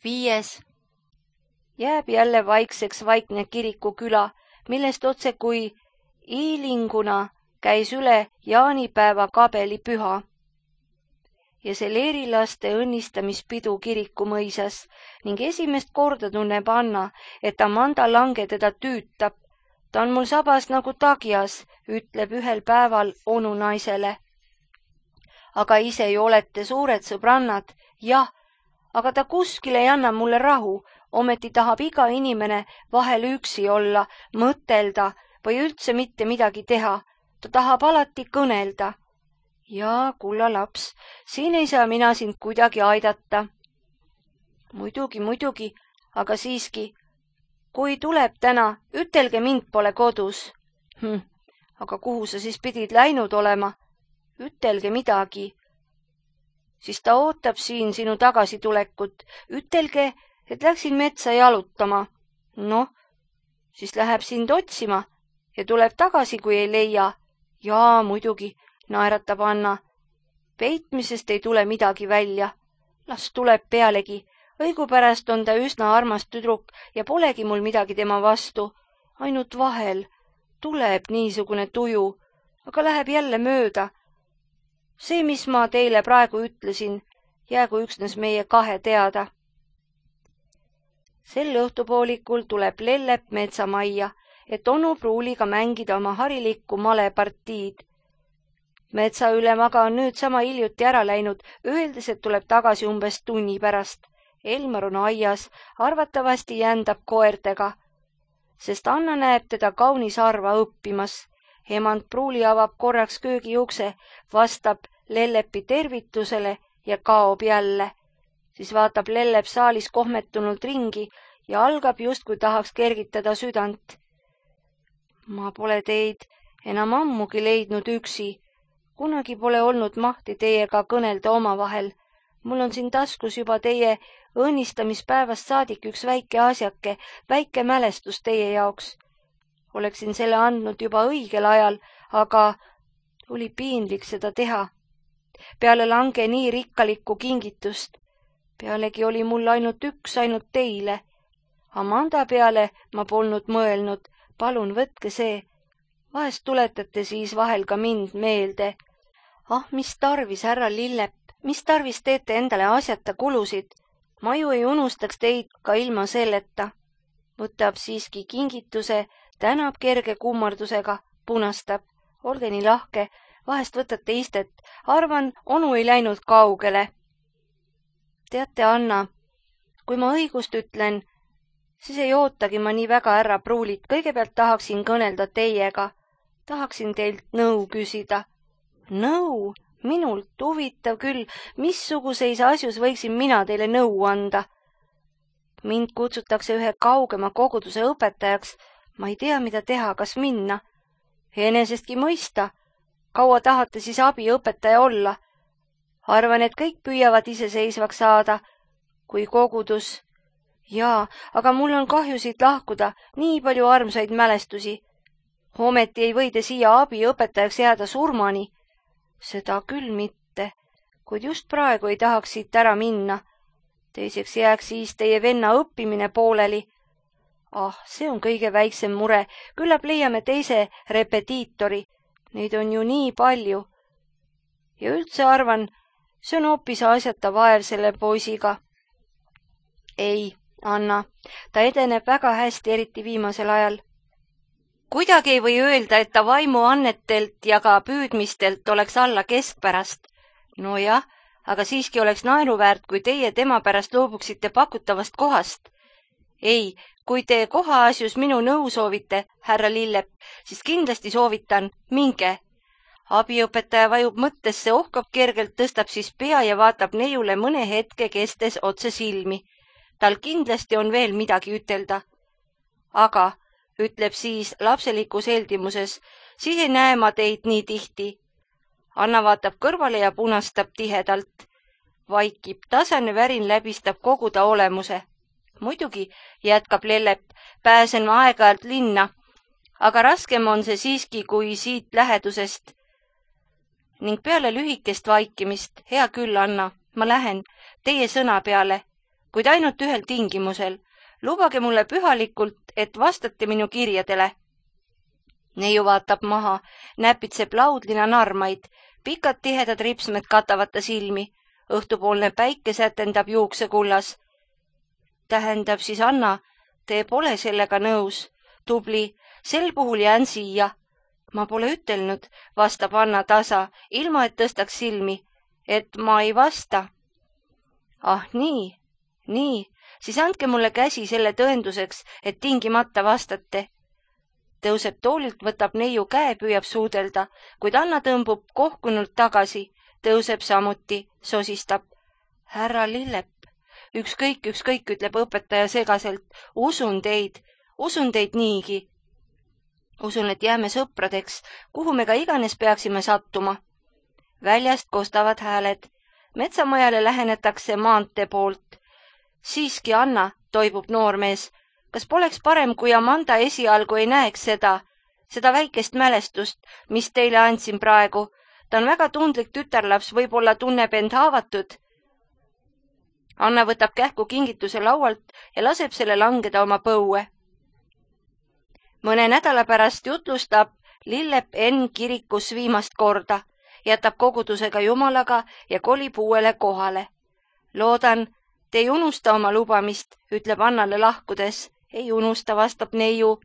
5. Jääb jälle vaikseks vaikne kirikuküla, millest otse kui iilinguna käis üle jaanipäeva kabelipüha. Ja see leerilaste õnnistamispidu kirikumõisas ning esimest korda tunneb Anna, et Amanda Lange teda tüütab. Ta on mul sabas nagu tagjas, ütleb ühel päeval onu naisele. Aga ise ju olete suured sõbrannad, jah, aga ta kuskil ei anna mulle rahu, ometi tahab iga inimene vahel üksi olla, mõtelda või üldse mitte midagi teha. Ta tahab alati kõnelda. Jaa, kulla laps, siin ei saa mina sind kuidagi aidata. Muidugi, aga siiski, kui tuleb täna, ütelge mind pole kodus. Aga kuhu sa siis pidid läinud olema? Ütelge midagi. Siis ta ootab siin sinu tagasitulekut. Ütelge, et läksin metsa jalutama. Noh, siis läheb sind otsima ja tuleb tagasi, kui ei leia. Jaa, muidugi, naeratab Anna. Peitmisest ei tule midagi välja. Las tuleb pealegi. Õigupärast on ta üsna armas tüdruk ja polegi mul midagi tema vastu. Ainult vahel tuleb niisugune tuju, aga läheb jälle mööda. See, mis ma teile praegu ütlesin, jäägu üksnes meie kahe teada. Sel õhtupoolikul tuleb Lellep metsamajja, et onu Pruuliga mängida oma harilikku malepartiid. Metsaülem aga on nüüd sama hiljuti ära läinud, öeldes, et tuleb tagasi umbes tunni pärast. Elmar on aias, arvatavasti jändab koertega, sest Anna näeb teda kaunis harva õppimas. Emand Pruuli avab korraks köögiukse, vastab Lellepi tervitusele ja kaob jälle. Siis vaatab Lellep saalis kohmetunult ringi ja algab justkui tahaks kergitada südant. Ma pole teid enam ammugi leidnud üksi. Kunagi pole olnud mahti teiega kõnelda omavahel. Mul on siin taskus juba teie õnnistamispäevast saadik üks väike asjake, väike mälestus teie jaoks. Oleksin selle andnud juba õigel ajal, aga oli piinlik seda teha. Peale Lange nii rikkalikku kingitust. Pealegi oli mul ainult teile. Amanda peale ma polnud mõelnud, palun võtke see. Vahest tuletate siis vahel ka mind meelde. Mis tarvis, härra Lillep, mis tarvis teete endale asjata kulusid? Ma ju ei unustaks teid ka ilma selleta. Võtab siiski kingituse, tänab kerge kummardusega, punastab. Olge nii lahke, vahest võtate istet. Arvan, onu ei läinud kaugele. Teate, Anna, kui ma õigust ütlen, siis ei ootagi ma nii väga härra Pruulit. Kõigepealt tahaksin kõnelda teiega. Tahaksin teilt nõu küsida. Nõu? Minult huvitav küll, missuguseis asjus võiksin mina teile nõu anda. Mind kutsutakse ühe kaugema koguduse õpetajaks. Ma ei tea, mida teha, kas minna. Enesestki mõista. Kaua tahate siis abiõpetaja olla? Arvan, et kõik püüavad iseseisvaks saada, kui kogudus. Jaa, aga mul on kahju siit lahkuda, nii palju armsaid mälestusi. Ometi ei või te siia abiõpetajaks jääda surmani. Seda küll mitte, kuid just praegu ei tahaks siit ära minna. Teiseks jääks siis teie venna õppimine pooleli. See on kõige väiksem mure, küllap leiame teise repetiitori. Neid on ju nii palju. Ja üldse arvan, see on hoopis asjata vaev selle poisiga. Ei, Anna, ta edeneb väga hästi, eriti viimasel ajal. Kuidagi ei või öelda, et ta vaimuannetelt ja ka püüdmistelt oleks alla keskpärast. No jah, aga siiski oleks naeruväärt, kui teie tema pärast loobuksite pakutavast kohast. Ei, kui te kohaasjus minu nõu soovite, härra Lillep, siis kindlasti soovitan, minge. Abiõpetaja vajub mõttesse, ohkab kergelt, tõstab siis pea ja vaatab neiule mõne hetke kestes otse silmi. Tal kindlasti on veel midagi ütelda. Aga ütleb siis lapselikus heldimuses, siis ei näe ma teid nii tihti. Anna vaatab kõrvale ja punastab tihedalt. Vaikib, tasane värin läbistab kogu ta olemuse. Muidugi, jätkab Lellep, pääsen ma aeg-ajalt linna, aga raskem on see siiski kui siit lähedusest. Ning peale lühikest vaikimist, hea küll, Anna, ma lähen teie sõna peale. kuid ainult ühel tingimusel. Lubage mulle pühalikult, et vastate minu kirjadele. Neiu vaatab maha, näpitseb laudlina narmaid, pikad tihedad ripsmed katavad ta silmi, õhtupoolne päike sätendab juuksekullas. Tähendab siis, Anna, te pole sellega nõus. Tubli, sel puhul jään siia. Ma pole ütelnud, vastab Anna tasa, ilma et tõstaks silmi, et ma ei vasta. Ah, nii, siis andke mulle käsi selle tõenduseks, et tingimata vastate. Tõuseb toolilt, võtab neiu käe, püüab suudelda, kuid Anna tõmbub kohkunult tagasi, tõuseb samuti, sosistab. Härra Lillep, ükskõik, ütleb õpetaja segaselt, usun teid niigi. Usun, et jääme sõpradeks, kuhu me ka iganes peaksime sattuma. Väljast kostavad hääled. Metsamajale lähenetakse maantee poolt. Siiski, Anna, toibub noormees. Kas poleks parem, kui Amanda esialgu ei näeks seda väikest mälestust, mis teile andsin praegu? Ta on väga tundlik tütarlaps, võib-olla tunneb end haavatud. Anna võtab kähku kingituse laualt ja laseb selle langeda oma põue. Mõne nädala pärast jutlustab Lillep N kirikus viimast korda, jätab kogudusega Jumalaga ja kolib uuele kohale. Loodan, te ei unusta oma lubamist, ütleb Annale lahkudes. Ei unusta, vastab neiu.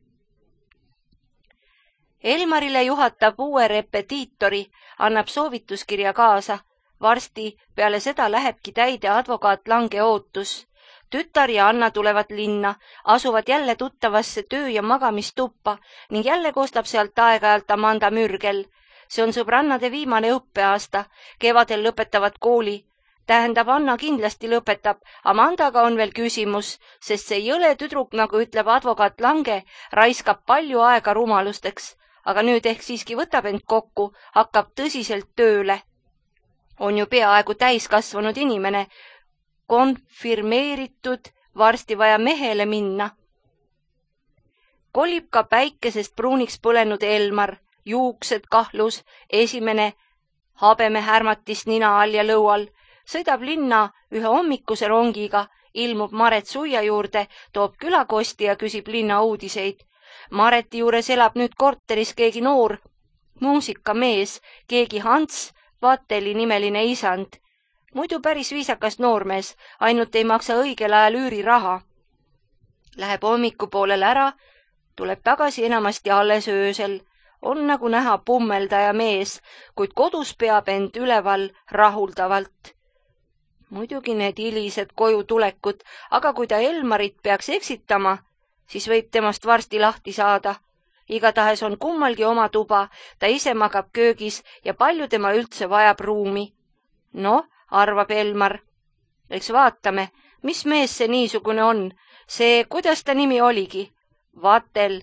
Elmarile juhatab uue repetiitori, annab soovituskirja kaasa. Varsti peale seda lähebki täide advokaat Lange ootus. Tütar ja Anna tulevad linna, asuvad jälle tuttavasse töö- ja magamistuppa ning jälle kostab sealt aeg-ajalt Amanda Mürgel. See on sõbrannade viimane õppeaasta, kevadel lõpetavad kooli. Tähendab, Anna kindlasti lõpetab, Amandaga on veel küsimus, sest see jõle tüdruk, nagu ütleb advokaat Lange, raiskab palju aega rumalusteks, aga nüüd ehk siiski võtab end kokku, hakkab tõsiselt tööle. On ju peaaegu täiskasvanud inimene, konfirmeeritud, varsti vaja mehele minna. Kolib ka päikesest pruuniks põlenud Elmar, juuksed kahlus, esimene habeme härmatis nina all ja lõual, sõidab linna ühe hommikuse rongiga, ilmub Maret Suia juurde, toob külakosti ja küsib linna uudiseid. Mareti juures elab nüüd korteris keegi noor muusikamees, keegi Hans Vateli nimeline isand. Muidu päris viisakas noormees, ainult ei maksa õigel ajal üüriraha. Läheb hommikupoolel ära, tuleb tagasi enamasti alles öösel. On nagu näha pummeldaja mees, kuid kodus peab end üleval rahuldavalt. Muidugi need hilised koju tulekud, aga kui ta Elmarit peaks eksitama, siis võib temast varsti lahti saada. Igatahes on kummalgi oma tuba, ta ise magab köögis ja palju tema üldse vajab ruumi. Noh, arvab Elmar. Eks vaatame, mis mees see niisugune on. See, kuidas ta nimi oligi? Vatel.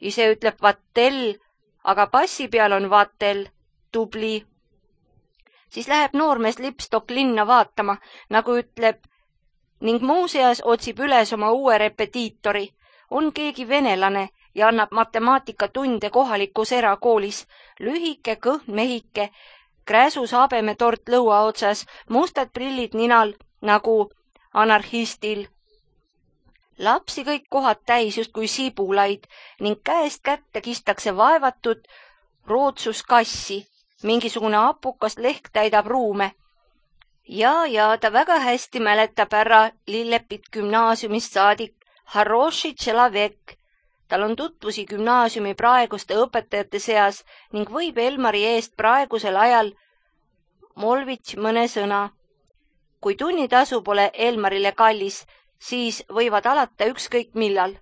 Ise ütleb Vatel, aga passi peal on Vatel. Tubli. Siis läheb noormees Lipstok linna vaatama, nagu ütleb, ning muuseas otsib üles oma uue repetiitori. On keegi venelane ja annab matemaatikatunde kohalikus erakoolis. Lühike, kõhn mehike, kräsus habemetort lõua otsas, mustad prillid ninal nagu anarhistil. Lapsi kõik kohad täis justkui sibulaid ning käest kätte kistakse vaevatud rootsuskassi. Mingisugune apukas lehk täidab ruume. Ja ta väga hästi mäletab ära Lillepit gümnaasiumist saadik Haroshi Tšelavek. Tal on tutvusi gümnaasiumi praeguste õpetajate seas ning võib Elmari eest praegusel ajal molvits mõne sõna. Kui tunnitasu pole Elmarile kallis, siis võivad alata ükskõik millal.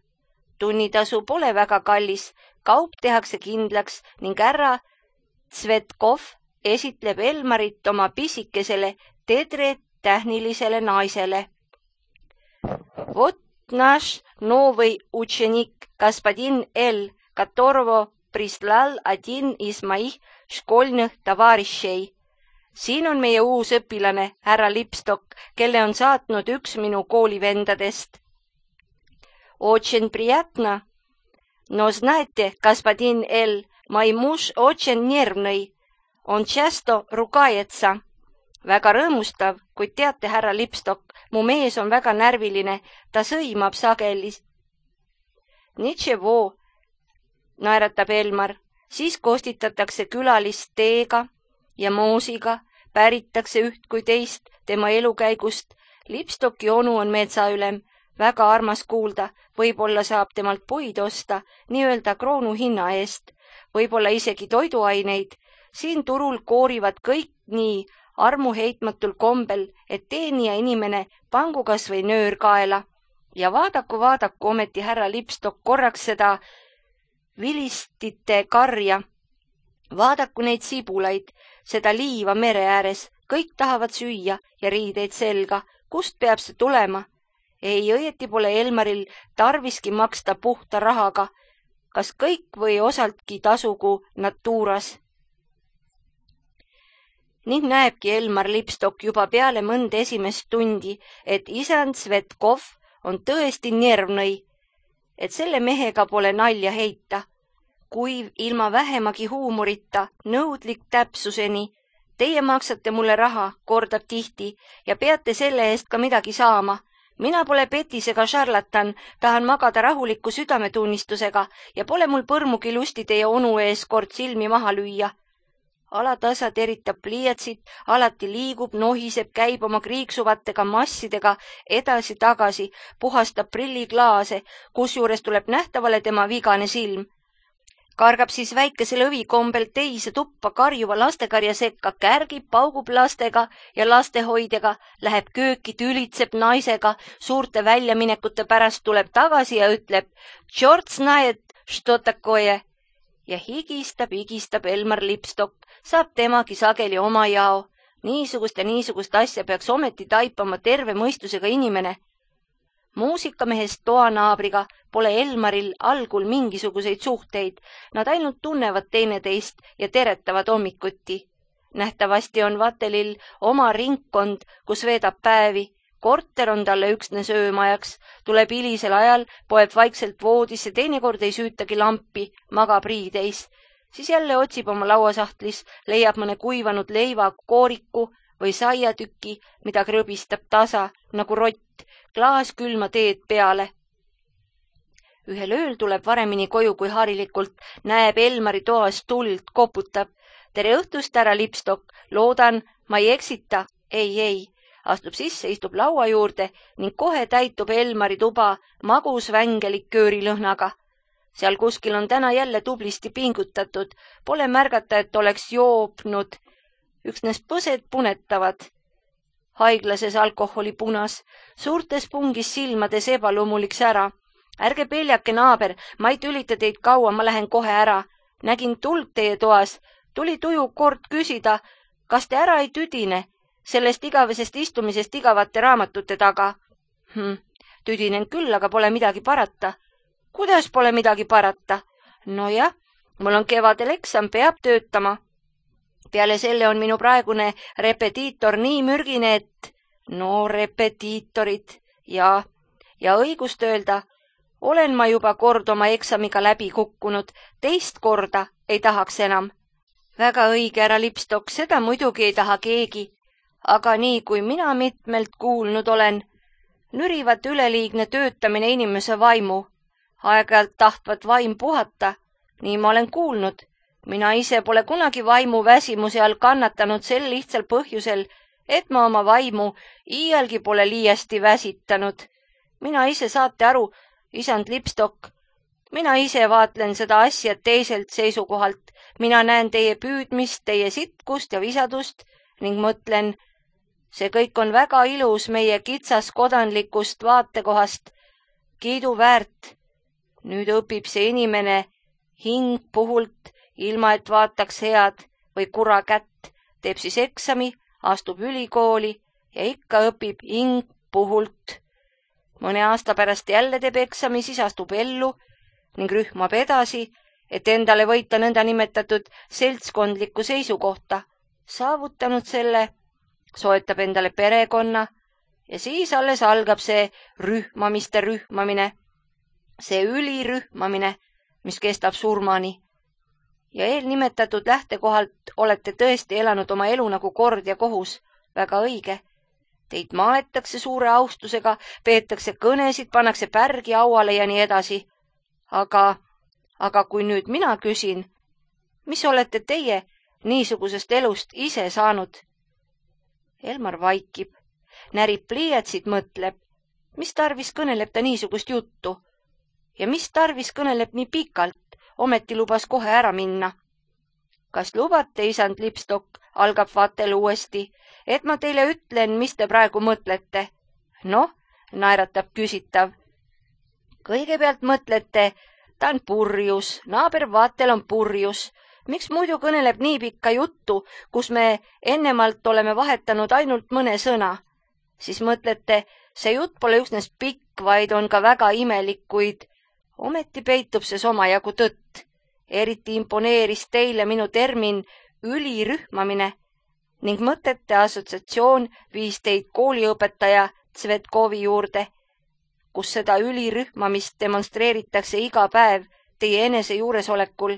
Tunnitasu pole väga kallis, kaup tehakse kindlaks ning härra Tsvetkov esitleb Elmarit oma pisikesele tedre tähnilisele naisele. Vot naš novõi učenik господин L, которого прислал один из моих школьных товарищей. Siin on meie uus õpilane, härra Lipstok, kelle on saatnud üks minu koolivendadest. Очень приятно. Но знаете, господин L, мой муж очень нервный. Он часто ругается. Väga rõõmustav, kuid teate, härra Lipstok, mu mees on väga närviline, ta sõimab sageli. Nitševo, naeratab Elmar, siis kostitatakse külalist teega ja moosiga, päritakse üht kui teist tema elukäigust. Lipstoki onu on metsaülem, väga armas kuulda, võib-olla saab temalt puid osta, nii-öelda kroonu hinna eest, võib-olla isegi toiduaineid. Siin turul koorivad kõik nii armuheitmatul kombel, et teenija inimene pangu kas või nöör kaela. Ja vaadaku ometi härra Lipstok korraks seda vilistite karja. Vaadaku neid sibulaid, seda liiva mere ääres, kõik tahavad süüa ja riideid selga. Kust peab see tulema? Ei, õieti pole Elmaril tarviski maksta puhta rahaga. Kas kõik või osaltki tasugu natuuras? Ning näebki Elmar Lipstok juba peale mõnda esimest tundi, et isand Svetkov on tõesti nervnõi, et selle mehega pole nalja heita. Kuiv ilma vähemagi huumorita, nõudlik täpsuseni. Teie maksate mulle raha, kordab tihti, ja peate selle eest ka midagi saama. Mina pole petis ega šarlatan, tahan magada rahuliku südametunnistusega ja pole mul põrmugi lusti teie onu ees kord silmi maha lüüa. Alatasa teritab pliiatsit, alati liigub, nohiseb, käib oma kriiksuvatega massidega edasi-tagasi, puhastab prilliklaase, kusjuures tuleb nähtavale tema vigane silm. Kargab siis väikese lõvikombel teise tuppa karjuva lastekarja sekka, kärgib, paugub lastega ja lastehoidjaga, läheb kööki, tülitseb naisega, suurte väljaminekute pärast tuleb tagasi ja ütleb "Tšort znaet, što takoje" ja higistab Elmar Lipstok, saab temagi sageli oma jao. Niisugust ja niisugust asja peaks ometi taipama terve mõistusega inimene. Muusikamehest toanaabriga pole Elmaril algul mingisuguseid suhteid, nad ainult tunnevad teineteist ja teretavad hommikuti. Nähtavasti on Vatelil oma ringkond, kus veedab päevi, korter on talle üksnes öömajaks, tuleb hilisel ajal, poeb vaikselt voodisse, teinekord ei süütagi lampi, magab riideis. Siis jälle otsib oma lauasahtlis, leiab mõne kuivanud leiva kooriku või saiatüki, mida krõbistab tasa, nagu rott, klaas külma teed peale. Ühel ööl tuleb varemini koju kui harilikult, näeb Elmari toas tuld, koputab. Tere õhtust, härra Lipstok, loodan, ma ei eksita. Ei. Astub sisse, istub laua juurde ning kohe täitub Elmari tuba magus vängeliköörilõhnaga. Seal kuskil on täna jälle tublisti pingutatud, pole märgata, et oleks joopnud. Üksnes põsed punetavad. Haiglases alkoholi punas, suurtes pungis silmades ebaloomuliks ära. Ärge peljake, naaber, ma ei tülita teid kaua, ma lähen kohe ära. Nägin tuld teie toas, tuli tuju kord küsida, kas te ära ei tüdine sellest igavesest istumisest igavate raamatute taga. Tüdinen küll, aga pole midagi parata. Kuidas pole midagi parata? Nojah, mul on kevadel eksam, peab töötama. Peale selle on minu praegune repetiitor nii mürgine, et... No, repetiitorid. Ja õigust öelda, olen ma juba kord oma eksamiga läbi kukkunud, teist korda ei tahaks enam. Väga õige, härra Lipstok, seda muidugi ei taha keegi. Aga nii kui mina mitmelt kuulnud olen, nürivat üleliigne töötamine inimese vaimu. Aeg-ajalt tahtvat vaim puhata, nii ma olen kuulnud. Mina ise pole kunagi vaimu väsimuse all kannatanud sel lihtsal põhjusel, et ma oma vaimu iialgi pole liiasti väsitanud. Mina ise, saate aru, isand Lipstok, mina ise vaatlen seda asja teiselt seisukohalt. Mina näen teie püüdmist, teie sitkust ja visadust ning mõtlen, see kõik on väga ilus meie kitsas kodanlikust vaatekohast, kiidu väärt. Nüüd õpib see inimene hing puhult, ilma et vaataks head või kura kätt, teeb siis eksami, astub ülikooli ja ikka õpib hing puhult. Mõne aasta pärast jälle teeb eksami, siis astub ellu ning rühmab edasi, et endale võita nõnda nimetatud seltskondlikku seisukohta. Saavutanud selle, soetab endale perekonna ja siis alles algab see rühmamiste rühmamine, see ülirühmamine, mis kestab surmani. Ja eelnimetatud lähtekohalt olete tõesti elanud oma elu nagu kord ja kohus. väga õige. Teid maetakse suure austusega, peetakse kõnesid, pannakse pärgi auale ja nii edasi. Aga kui nüüd mina küsin, mis olete teie niisugusest elust ise saanud? Elmar vaikib, närib pliiatsid, mõtleb, mis tarvis kõneleb ta niisugust juttu ja mis tarvis kõneleb nii pikalt, ometi lubas kohe ära minna. Kas lubate, isand Lipstok, algab Vatel uuesti, et ma teile ütlen, mis te praegu mõtlete? Noh, naeratab küsitav. Kõigepealt mõtlete, ta on purjus, naaber Vatel on purjus. Miks muidu kõneleb nii pikka juttu, kus me ennemalt oleme vahetanud ainult mõne sõna? Siis mõtlete, see jutt pole üksnes pikk, vaid on ka väga imelik, kuid ometi peitub see omajagu tõtt. Eriti imponeeris teile minu termin ülirühmamine ning mõtete assotsiatsioon viis teid kooliõpetaja Tsvetkovi juurde, kus seda ülirühmamist demonstreeritakse iga päev teie enese juuresolekul.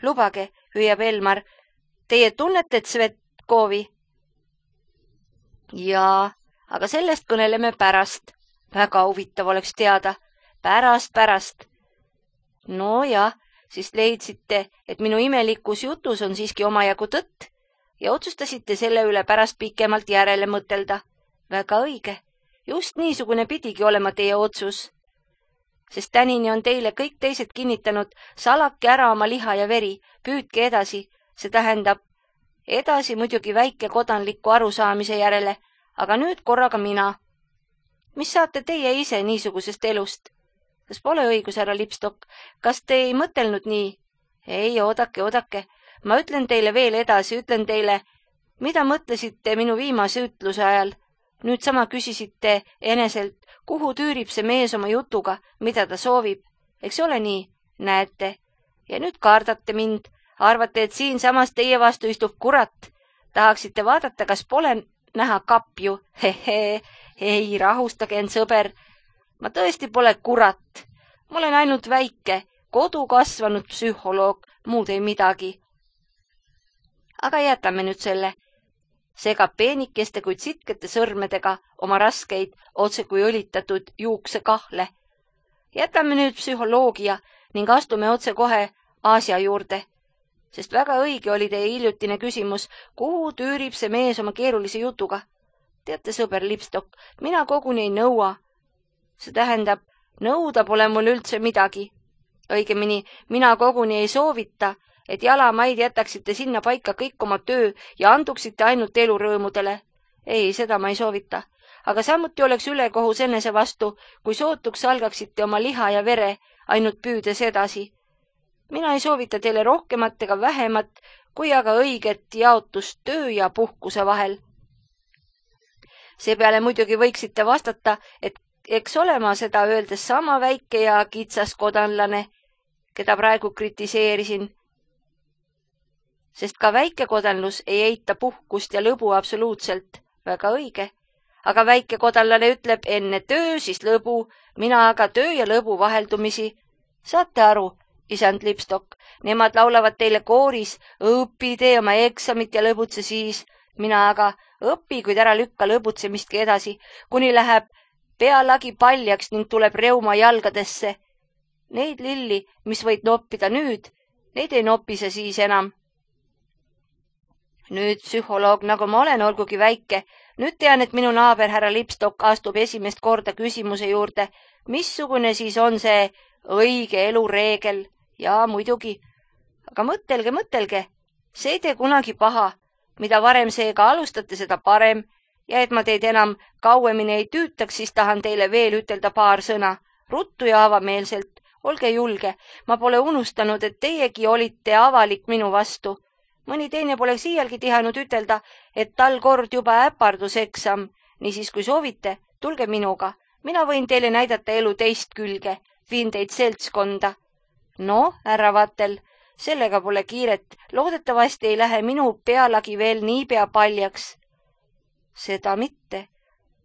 Lubage, hüüab Elmar, teie tunnete Tsvetkovi? Jaa, aga sellest kõneleme pärast. Väga huvitav oleks teada. Pärast. No jah, siis leidsite, et minu imelikus jutus on siiski omajagu tõtt ja otsustasite selle üle pärast pikemalt järele mõtelda. Väga õige. Just niisugune pidigi olema teie otsus. Sest tänini on teile kõik teised kinnitanud, salake ära oma liha ja veri, püüdke edasi, see tähendab edasi muidugi väike kodanliku arusaamise järele, aga nüüd korraga mina. Mis saate teie ise niisugusest elust? Kas pole õigus, härra Lipstok? Kas te ei mõtelnud nii? Ei, oodake. Ma ütlen teile veel edasi, ütlen teile, mida mõtlesite minu viimase ütluse ajal. Nüüd sama küsisite eneselt, kuhu tüürib see mees oma jutuga, mida ta soovib. Eks ole nii? Näete. Ja nüüd kardate mind. Arvate, et siin samas teie vastu istub kurat. Tahaksite vaadata, kas pole näha kapju? Ei, rahustage end, sõber. Ma tõesti pole kurat. Ma olen ainult väike, kodu kasvanud psühholoog, muud ei midagi. Aga jätame nüüd selle. Seega peenikeste kuid sitkete sõrmedega oma raskeid, otse kui õlitatud juuksekahle. Jätame nüüd psühholoogia ning astume otse kohe Aasia juurde. Sest väga õige oli teie hiljutine küsimus, kuhu tüürib see mees oma keerulise jutuga. Teate, sõber Lipstok, mina koguni ei nõua. See tähendab, nõuda pole mul üldse midagi. Õigemini, mina koguni ei soovita, et jalamaid jätaksite sinna paika kõik oma töö ja anduksite ainult elurõõmudele. Ei, seda ma ei soovita. Aga samuti oleks ülekohus enese vastu, kui sootuks algaksite oma liha ja vere, ainult püüdes edasi. Mina ei soovita teile rohkemat ega vähemat, kui aga õiget jaotust töö ja puhkuse vahel. Seepeale muidugi võiksite vastata, et eks ole ma seda öeldes sama väike ja kitsas kodanlane, keda praegu kritiseerisin. Sest ka väike kodanlus ei eita puhkust ja lõbu absoluutselt. Väga õige. Aga väike kodanlane ütleb enne töö, siis lõbu, mina aga töö ja lõbu vaheldumisi. Saate aru, isand Lipstok, nemad laulavad teile kooris, õpi, tee oma eksamit ja lõbutse siis. Mina aga õpi, kuid ära lükka lõbutsemistki edasi, kuni läheb pealagi paljaks ning tuleb reuma jalgadesse. Neid lilli, mis võid noppida nüüd, neid ei nopise siis enam. Nüüd psühholoog, nagu ma olen, olgugi väike, nüüd tean, et minu naaber härra Lipstok astub esimest korda küsimuse juurde, missugune siis on see õige elureegel. Ja muidugi. Aga mõtelge, see ei tee kunagi paha. Mida varem seega alustate, seda parem. Ja et ma teid enam kauemini ei tüütaks, siis tahan teile veel ütelda paar sõna. Ruttu ja avameelselt. Olge julge. Ma pole unustanud, et teiegi olite avalik minu vastu. Mõni teine poleks iialgi tihanud ütelda, et tal kord juba äparduseksam. Niisiis, kui soovite, tulge minuga. Mina võin teile näidata elu teist külge. Viin teid seltskonda. No, härra Vatel, sellega pole kiiret. Loodetavasti ei lähe minu pealagi veel niipea paljaks. Seda mitte.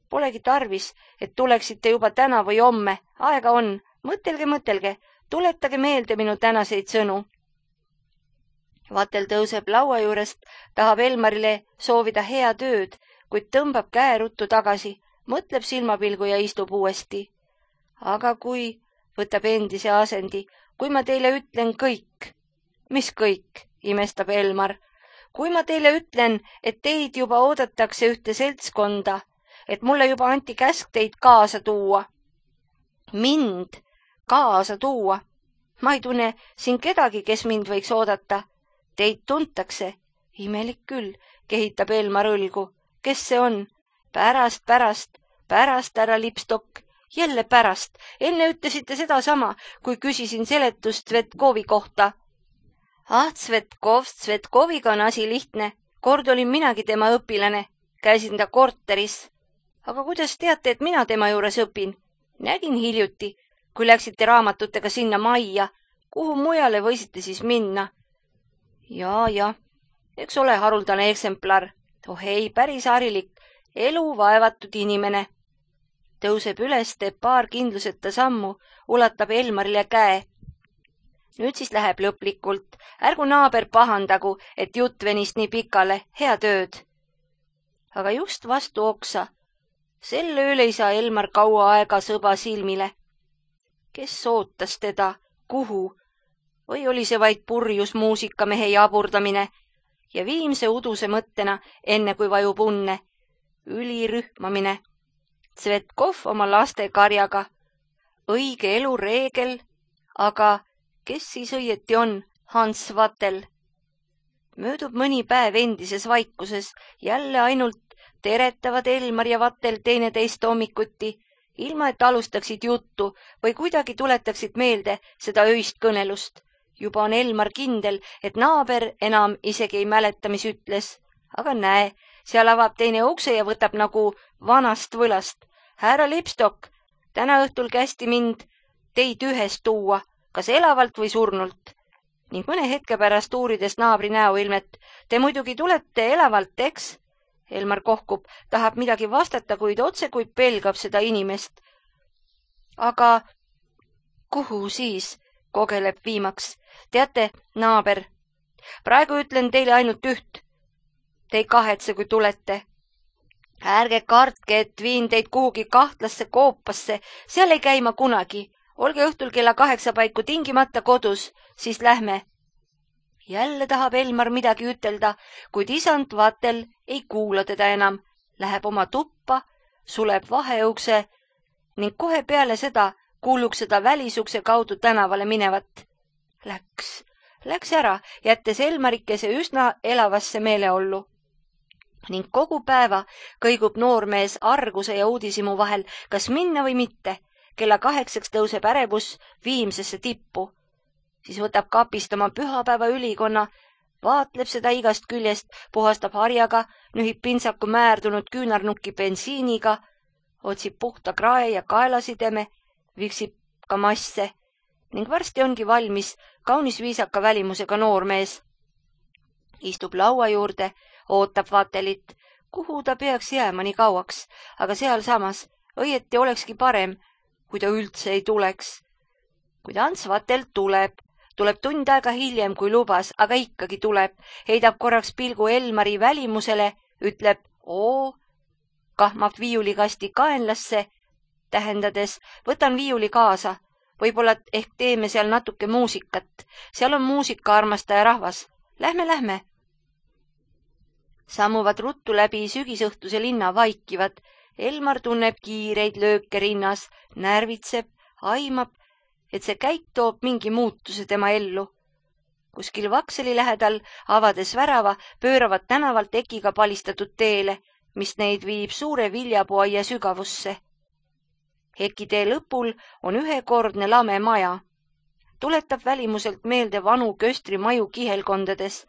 Polegi tarvis, et tuleksite juba täna või homme. Aega on. Mõtelge. Tuletage meelde minu tänaseid sõnu. Vatel tõuseb laua juurest, tahab Elmarile soovida hea tööd, kuid tõmbab käe ruttu tagasi, mõtleb silmapilgu ja istub uuesti. Aga kui, võtab endise asendi, kui ma teile ütlen kõik. Mis kõik, imestab Elmar. Kui ma teile ütlen, et teid juba oodatakse ühte seltskonda, et mulle juba anti käsk teid kaasa tuua. Mind kaasa tuua. Ma ei tunne siin kedagi, kes mind võiks oodata. Teid tuntakse. Imelik küll, kehitab Elmar õlgu. Kes see on? Pärast, härra Lipstok. Jälle pärast. Enne ütlesite seda sama, kui küsisin seletust Svetkovi kohta. Svetkoviga on asi lihtne. Kord olin minagi tema õpilane. Käisin ta korteris. Aga kuidas teate, et mina tema juures õpin? Nägin hiljuti, kui läksite raamatutega sinna majja. Kuhu mujale võisite siis minna? Ja, eks ole haruldane eksemplar. Oh ei, päris harilik, elu vaevatud inimene. Tõuseb üles, teeb paar kindluseta sammu, ulatab Elmarile käe. Nüüd siis läheb lõplikult. Ärgu naaber pahandagu, et jutt venis nii pikale. Head ööd. Aga just vastu oksa. Sel ööl ei saa Elmar kaua aega sõba silmile. Kes ootas teda? Kuhu? Või oli see vaid purjus muusikamehe jaburdamine ja viimse uduse mõttena, enne kui vajub unne? Ülirühmamine. Svetkov oma laste karjaga. Õige elu reegel, aga kes siis õieti on? Hans Vatel. Möödub mõni päev endises vaikuses, jälle ainult teretavad Elmar ja Vatel teineteist hommikuti, ilma et alustaksid juttu või kuidagi tuletaksid meelde seda öist kõnelust. Juba on Elmar kindel, et naaber enam isegi ei mäleta, mis ütles. Aga näe, seal avab teine ukse ja võtab nagu vanast võlast. Härra Lipstok, täna õhtul kästi mind teid ühest tuua, kas elavalt või surnult. Ning mõne hetke pärast uurides naabri näoilmet. Te muidugi tulete elavalt, eks? Elmar kohkub, tahab midagi vastata, kuid otse kui pelgab seda inimest. Aga kuhu siis? Kogeleb viimaks. Teate, naaber, praegu ütlen teile ainult üht. Te ei kahetse, kui tulete. Ärge kartke, et viin teid kuhugi kahtlasse koopasse, seal ei käi ma kunagi. Olge õhtul kella 8 paiku tingimata kodus, siis lähme. Jälle tahab Elmar midagi ütelda, kuid isand Vatel ei kuula teda enam. Läheb oma tuppa, suleb vaheukse ning kohe peale seda kuuluks seda välisukse kaudu tänavale minevat. Läks ära, jättes Elmarikese üsna elavasse meeleollu. Ning kogu päeva kõigub noormees arguse ja uudishimu vahel, kas minna või mitte. Kella 8 tõuseb ärevus viimsesse tippu. Siis võtab kapist oma pühapäeva ülikonna, vaatleb seda igast küljest, puhastab harjaga, nühib pintsaku määrdunud küünarnukki bensiiniga, otsib puhta krae ja kaelasideme, viksib ka masse ning varsti ongi valmis kaunis viisaka välimusega noormees. Istub laua juurde, ootab Vatelit, kuhu ta peaks jääma nii kauaks, aga sealsamas õieti olekski parem, kui ta üldse ei tuleks. Kuid Hans Vatel tuleb tund aega hiljem, kui lubas, aga ikkagi tuleb, heidab korraks pilgu Elmari välimusele, ütleb oo, kahmab viiulikasti kaenlasse, tähendades, võtan viiuli kaasa, võib-olla ehk teeme seal natuke muusikat, seal on muusikaarmastaja rahvas, lähme. Sammuvad ruttu läbi sügisõhtuse linna vaikivad, Elmar tunneb kiireid lööke rinnas, närvitseb, aimab, et see käik toob mingi muutuse tema ellu. Kuskil Vakseli lähedal, avades värava, pööravad tänavalt ekiga palistatud teele, mis neid viib suure viljapuuaia sügavusse. Ekitee lõpul on ühekordne lame maja. Tuletab välimuselt meelde vanu köstrimaju kihelkondades.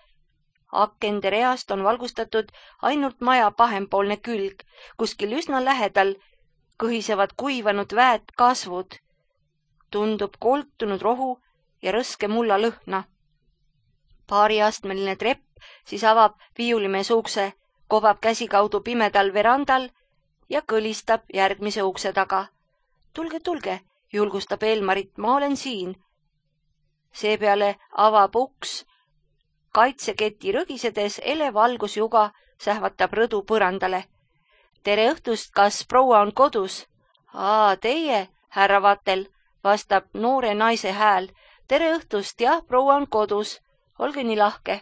Akende reast on valgustatud ainult maja pahempoolne külg, kuskil üsna lähedal kõhisevad kuivanud väed kasvud. Tundub koltunud rohu ja rõske mulla lõhna. Paariastmeline trepp siis avab viiulimees ukse, kobab käsikaudu pimedal verandal ja kõlistab järgmise ukse taga. Tulge, julgustab Elmarit, ma olen siin. Seepeale avab uks, kaitseketi rõgisedes elev valgusjuga sähvatab rõdu põrandale. tere õhtust, kas proua on kodus? Aa, teie, härra Vatel, vastab noore naise hääl. Tere õhtust, jah, proua on kodus. Olge nii lahke.